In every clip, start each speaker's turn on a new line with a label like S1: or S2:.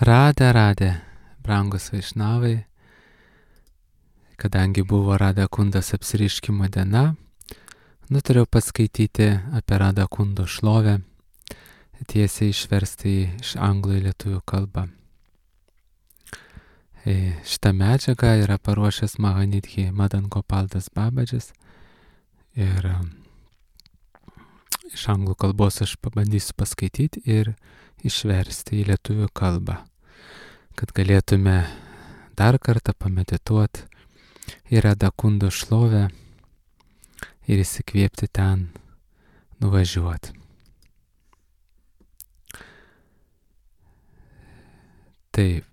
S1: Radė, brangus vaišnavai, kadangi buvo Radha Kundos apsireiškimo diena, nutariau paskaityti apie Radha Kundo šlovę, tiesiai išversti iš anglų į lietuvių kalbą. Šitą medžiagą yra paruošęs Mahanidhi Madan Gopal Das Babadžis ir iš anglų kalbos aš pabandysiu paskaityti ir išversti į lietuvių kalbą, kad galėtume dar kartą pamedituoti į Radha Kundo šlovę ir įsikvėpti ten nuvažiuoti. Taip,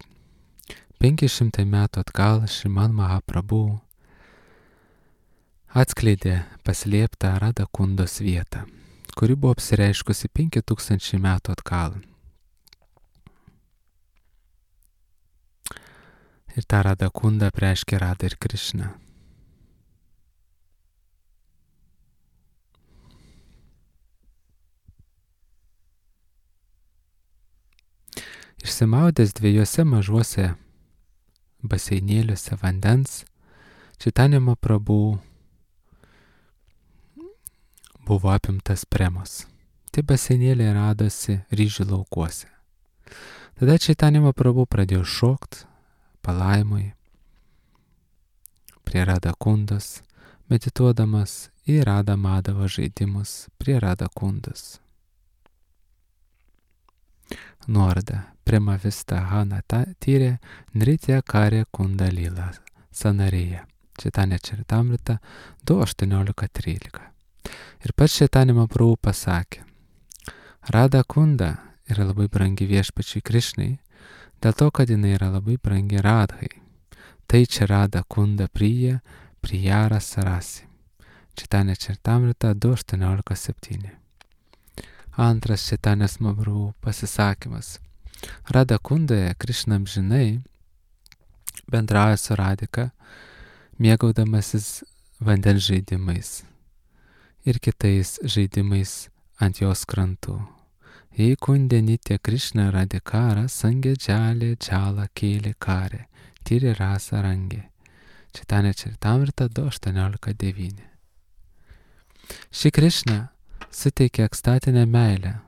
S1: 500 metų atgal Šriman Mahaprabhu atskleidė paslėptą Radha Kundos vietą, kuri buvo apsireiškusi 5000 metų atgal. Ir tą Radha Kundą apreiškė Radha ir Krišna. Išsimaudęs dviejose mažuose baseinėliuose vandens, Chaitanya Mahaprabhu buvo apimtas premos. Tie baseinėliai radosi ryžių laukuose. Tada Chaitanya Mahaprabhu pradėjo šokti palaimui prie Radha Kundos, medituodamas į Radha Madhava žaidimus prie Radha Kundos. Nuoroda. Prema Vistahana tyrė Nritya Karya Kunda Lila Sanarėje. Chaitanya Charitamrita 2.18.13. Ir pats Chaitanya Mahaprabhu pasakė, Radha Kunda yra labai brangi viešpačiui Krišnai, dėl to, kad jinai yra labai brangi Radhai. Tai čia Radha Kunda Priyara Sarasi. Chaitanya Charitamrita 2.18.7. Antras Chaitanya Mahaprabhu pasisakymas. Radha Kundoje Krišna amžinai bendrauja su Radhika, mėgaudamasis vandens žaidimais ir kitais žaidimais ant jos krantų. Jei kundė nitya Krišna Radhikara sangė džalė džalą kėlė karė, tyri rasa rangė. Chaitanya Charitamrita 2.18.9. Ši Krišna suteikia ekstatinę meilę,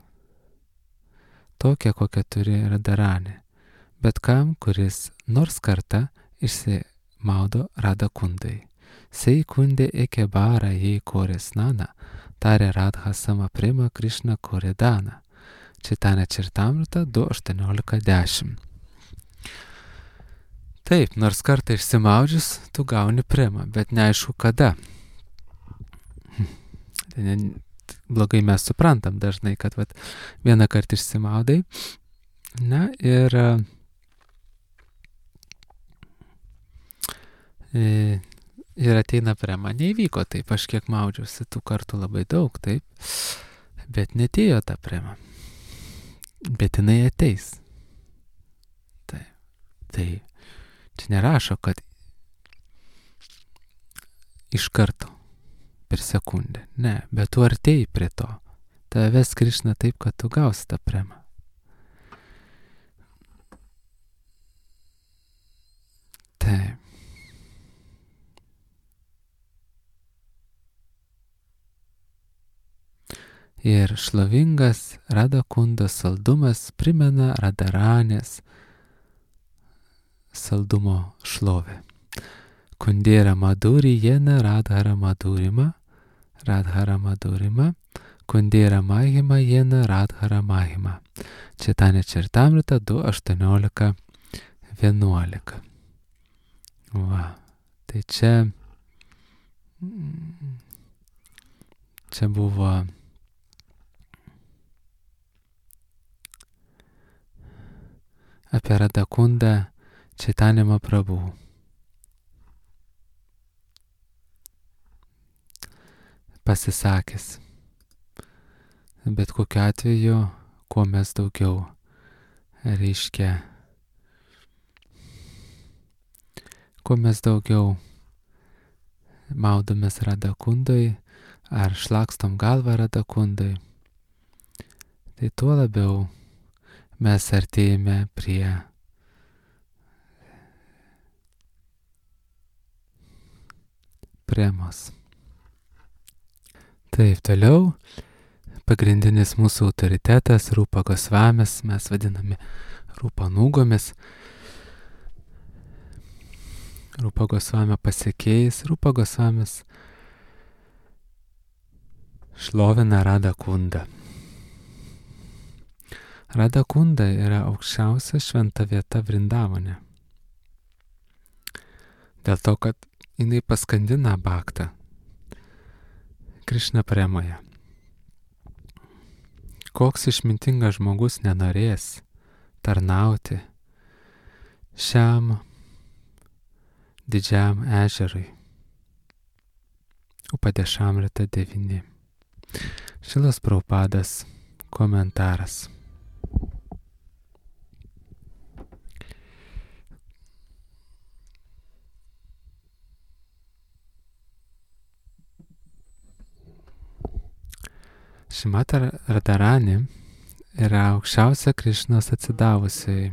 S1: tokią, kokią turi Radharanė, bet kam, kuris nors kartą išsimaudo Radha Kundai. Sei kundė eke bara jei kore snana, tarė Radha sama prima Krišna kore dana. Chaitanya Charitamrita 2.18.10. Taip, nors kartą išsimaudžius, tu gauni primą, bet neaišku kada. Blogai mes suprantam dažnai, kad vieną kartą išsimaudai, na ir ateina prema. Neįvyko taip, aš kiek maudžiausi tų kartų labai daug, taip, bet netėjo ta prema. Bet jinai ateis. Tai čia nerašo, kad iš karto per sekundę. Ne, bet tu artėjai prie to. Tavęs Krišna taip, kad tu gausi tą premą. Taip. Ir šlovingas Radha Kundos saldumas primena Radharanės saldumo šlovę. Kundėra maduri jena Radhara madurima, Kundėra mahima jena Radhara mahima. Chaitanya Charitamrita 2.18.11. Va, tai čia buvo apie Radha Kundą Chaitanya Mahaprabhu. Pasisakęs. Bet kokiu atveju, kuo mes daugiau maudomės Radha Kundoj ar šlakstom galvą Radha Kundoj, tai tuo labiau mes artėjame prie premos. Taip, toliau. Pagrindinis mūsų autoritetas Rūpa Gosvamis, mes vadinami Rūpanūgomis. Rūpa Gosvamio pasiekėjais. Rūpa Gosvamis šlovina Radha Kundą. Radha Kunda yra aukščiausia šventa vieta Vrindavane. Dėl to, kad jinai paskandina bhaktą Krišna premoje. Koks išmintingas žmogus nenorės tarnauti šiam didžiam ežerui. Upadešamrita 9. Šilas Prabhupadas komentaras. Šrimati Radharani yra aukščiausia Krišnos atsidavusiai.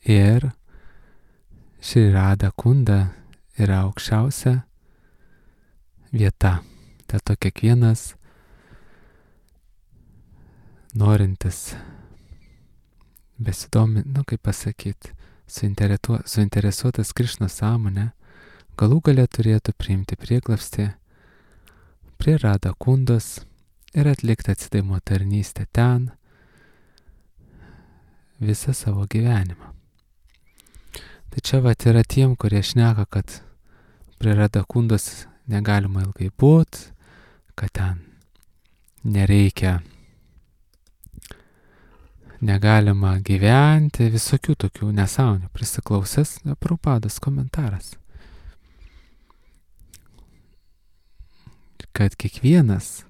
S1: Ir Šri Radha Kunda yra aukščiausia vieta. Dėl to kiekvienas norintis suinteresuotas Krišnos sąmonė, galų gale turėtų priimti prieglobstį prie Radha Kundos ir atlikti atsidavimo tarnystę ten visą savo gyvenimą. Tai čia yra tiem, kurie šneka, kad prie Radha Kundos negalima ilgai būti, kad ten negalima gyventi, visokių tokių nesąmonių. Prisiklausęs Prabhupados komentaras. Kad kiekvienas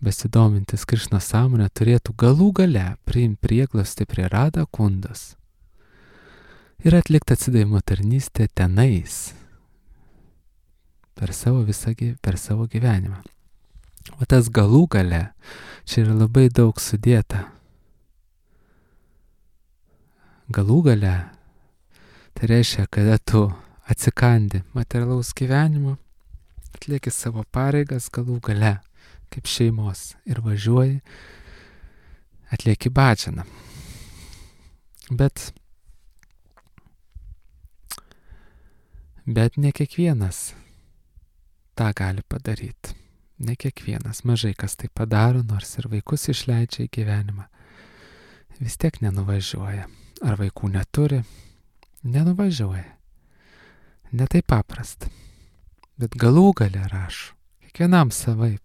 S1: besidomintis Krišnos sąmonę turėtų galų gale priimti prieglobstį prie Radha Kundos ir atlikti atsidavimo tarnystę tenais per savo gyvenimą. O tas galų gale, čia yra labai daug sudėta. Galų gale, tai reiškia, kada tu atsikandi materialaus gyvenimo, atlieki savo pareigas galų gale, kaip šeimos, ir važiuoji, atlieki bhajaną. Bet ne kiekvienas tą gali padaryti. Ne kiekvienas, mažai kas tai padaro, nors ir vaikus išleidžia į gyvenimą. Vis tiek nenuvažiuoja. Ar vaikų neturi? Nenuvažiuoja. Ne taip paprasta. Bet galų gale rašo. Kiekvienam savaip.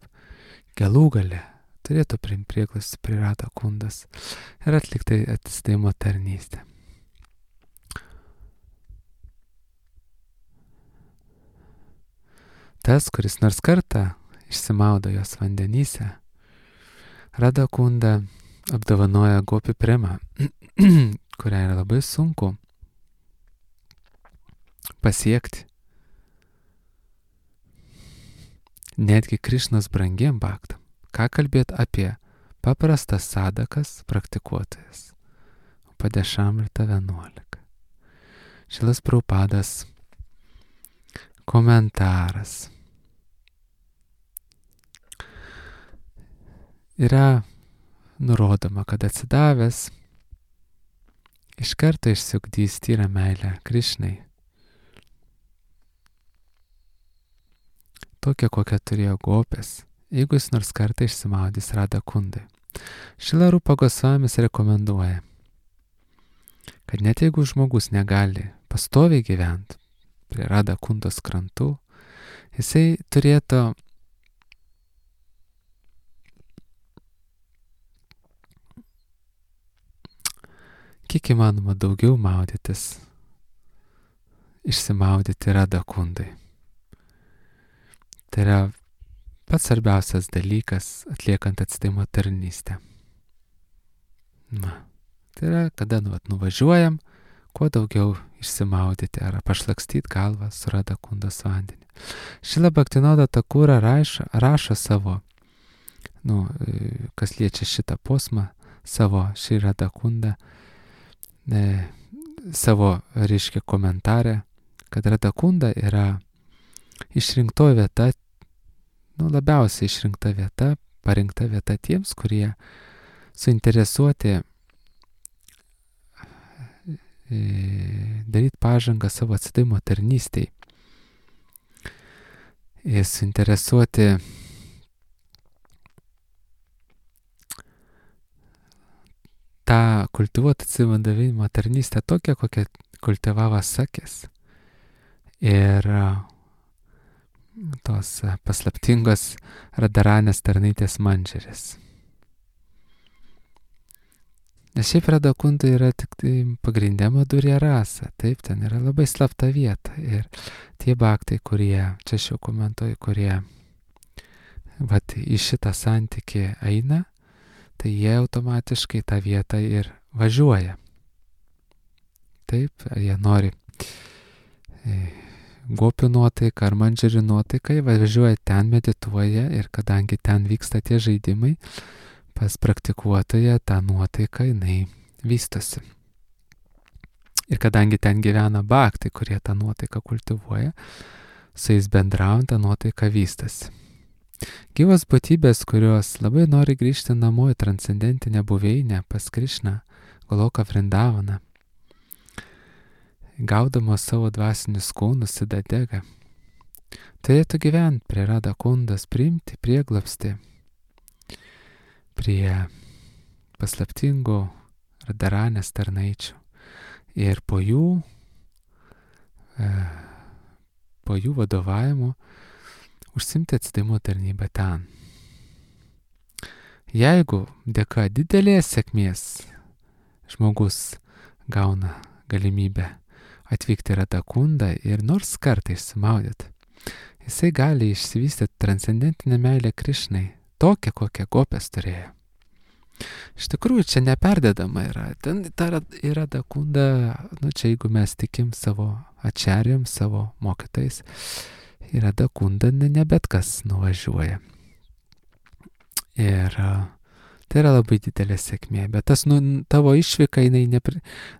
S1: Galų gale turėtų priimti prieglobstį prie Radha Kundos ir atlikti atsidavimo tarnystę. Tas, kuris nors kartą išsimaudo jos vandenyse, Radha Kunda apdovanoja gopi premą, kurią yra labai sunku pasiekti. Netgi Krišnos brangiem bhaktam. Ką kalbėt apie paprastas sadakas praktikuotojas. Upadešamrita 11. Šilas Prabhupadas komentaras. Yra nurodoma, kad atsidavęs iš karto išsiugdys tyrą meilę Krišnai. Tokią, kokią turėjo gopės, jeigu jis nors kartą išsimaudys Radha Kundai. Šrila Rūpa Gosvamis rekomenduoja, kad net jeigu žmogus negali pastoviai gyventi prie Radha Kundos krantų, jisai turėtų kiek įmanoma daugiau maudytis, išsimaudyti Radha Kundai. Tai yra pats svarbiausias dalykas atliekant atsidavimo tarnystę. Tai yra, kada nuvažiuojam, kuo daugiau išsimaudyti ar pašlakstyti galvą su Radha Kundos vandeniu. Šrila Bhaktivinoda Thakura rašo savo, kas liečia šitą posmą, savo Šri Radha Kundą, savo, reiškia, komentarę, kad Radakunda yra išrinkto vieta, labiausiai išrinkta vieta, parinkta vieta tiems, kurie suinteresuoti daryti pažangą savo atsidavimo tarnystėj. Ir suinteresuoti tą kultivuotą atsidavimo tarnystę tokią, kokią kultivavo Sakis. Ir tos paslaptingos Radaranės tarnaitės Mandžerės. Nes šiaip Radakunda yra tik tai pagrindė Madhurya rasa, taip, ten yra labai slapta vieta. Ir tie bhaktai, kurie, čia aš jau komentuoju, kurie į šitą santykį eina, tai jie automatiškai tą vietą ir važiuoja. Taip, jie nori gopių nuotaiką ar mandžerių nuotaiką, važiuoja ten, medituoja ir kadangi ten vyksta tie žaidimai, pas praktikuotoje tą nuotaiką jinai vystosi. Ir kadangi ten gyvena bhaktai, kurie tą nuotaiką kultivuoja, su jais bendraujant tą nuotaiką vystosi. Gyvos būtybės, kurios labai nori grįžti namo į transcendentinę buveinę pas Krišną, Goloką Vrindavaną, gaudamos savo dvasinius kūnus Sidadega, turėtų gyventi prie Radakundos, priimti prieglobstį prie paslaptingų Radaranės tarnaičių ir po jų vadovavimo užsimti atsidavimo tarnybą ten. Jeigu dėka didelės sėkmės žmogus gauna galimybę atvykti į Radakundą ir nors kartą išsimaudyti, jisai gali išsivystyti transcendentinę meilę Krišnai, tokią, kokią gopės turėjo. Iš tikrųjų, čia neperdedama yra. Ten yra Radakunda, čia jeigu mes tikim savo ačarijom, savo mokytais, į Radakunda ne bet kas nuvažiuoja. Ir tai yra labai didelė sėkmė, bet tas tavo išvyka, jinai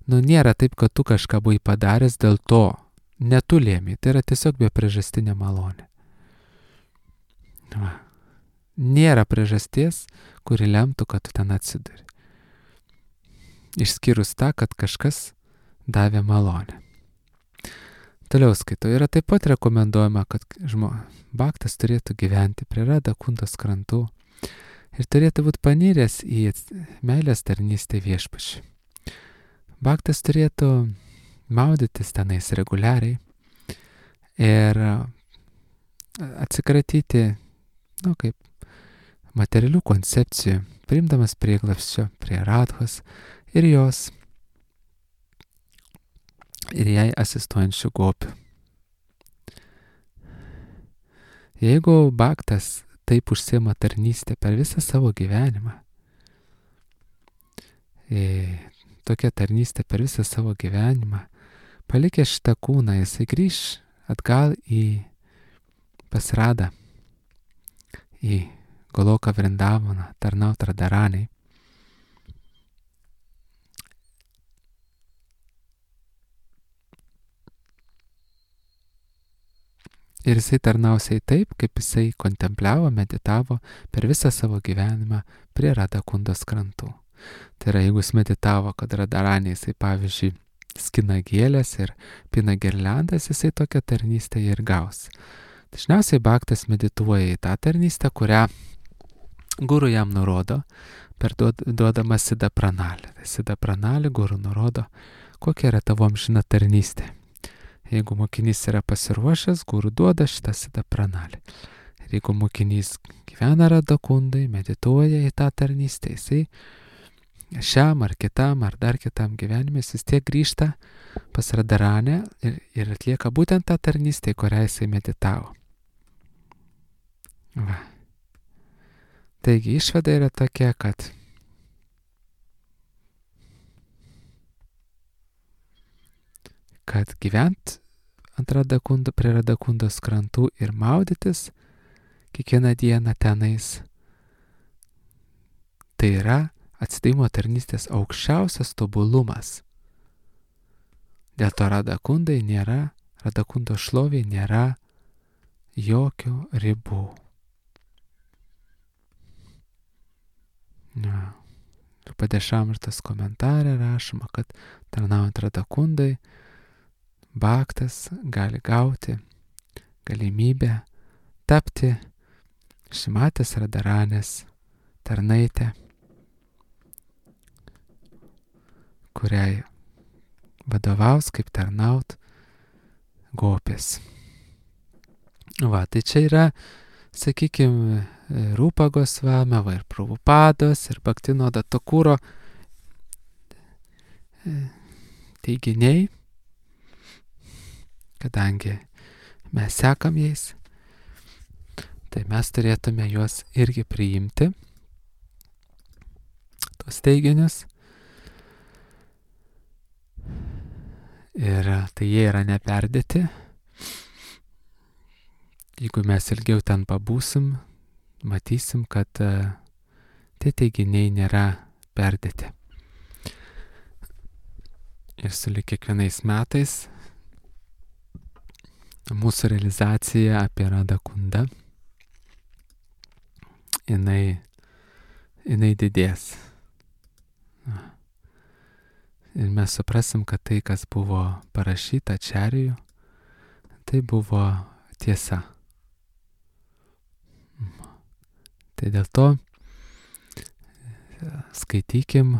S1: nėra taip, kad tu kažką buvai padaręs dėl to, ne tu lėmei, tai yra tiesiog be priežastinė malonė. Nėra priežasties, kuri lemtų, kad tu ten atsiduri. Išskyrus tą, kad kažkas davė malonę. Toliau skaitau, yra taip pat rekomenduojama, kad bhaktas turėtų gyventi prie Radakundos krantų ir turėtų būti paniręs į meilės tarnystę viešpačiui. Bhaktas turėtų maudytis tenais reguliariai ir atsikratyti, kaip materialių koncepcijų, priimdamas prieglobsčio prie Radhos ir jos ir jai asistuojančių gopių. Jeigu bhaktas taip užsiema tarnystę per visą savo gyvenimą, tokia tarnystė per visą savo gyvenimą, palikęs šitą kūną, jisai grįš atgal pas Radą, į Goloką Vrindavaną, tarnaut Radaranei. Ir jisai tarnausiai taip, kaip jisai kontempliavo, meditavo per visą savo gyvenimą prie Radakundos krantų. Tai yra, jeigu jis meditavo, kad Radaranė jisai, pavyzdžiui, skina gėlės ir pina girliandas, jisai tokią tarnystę ir gaus. Dažniausiai bhaktas medituoja į tą tarnystę, kurią guru jam nurodo, duodama Siddha Pranali. Siddha Pranali guru nurodo, kokia yra tavo amžina tarnystė. Jeigu mokinys yra pasiruošęs, guru duoda šitą Siddha Pranali. Ir jeigu mokinys gyvena Radakundai, medituoja į tą tarnystę, jisai šiam ar kitam ar dar kitam gyvenime vis tiek grįžta pas Radaranę ir atlieka būtent tą tarnystę, į kurią jisai meditavo. Va. Taigi išvada yra tokia, kad gyvent prie Radakundos krantų ir maudytis kiekvieną dieną tenais, tai yra atsidavimo tarnystės aukščiausias tobulumas. Dėl to Radakundo šlovė nėra jokių ribų. Ja. Ir Padešamritas komentarė rašoma, kad tarnaujant Radakundai, bhaktas gali gauti galimybę tapti Šimatės Radharanės tarnaitę, kuriai vadovaus kaip tarnaut gopės. Va, tai čia yra, sakykime, Rūpa Gosvamio ir Prabhupados ir Bhaktinoda Thakuro teiginiai, kadangi mes sekam jais, tai mes turėtume juos irgi priimti, tuos teiginius. Ir tai jie yra neperdėti. Jeigu mes ilgiau ten pabūsim, matysim, kad tie teiginiai nėra perdėti. Ir sulig kiekvienais metais mūsų realizacija apie Radakundą, jinai didės. Ir mes suprasim, kad tai, kas buvo parašyta Ačarijų, tai buvo tiesa. Tai dėl to skaitykim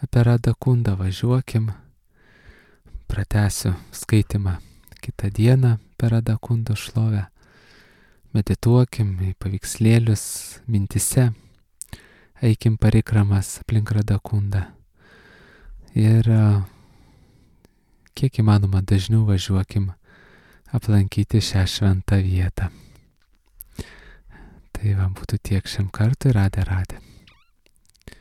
S1: apie Radakundą, važiuokim, pratęsiu skaitimą kitą dieną per Radakundo šlovę, medituokim į paveikslėlius mintise, eikim parikramas aplink Radakundą ir kiek įmanoma dažniau važiuokim aplankyti šią šventą vietą. Tai va būtų tiek šiam kartui. Radhe Radhe.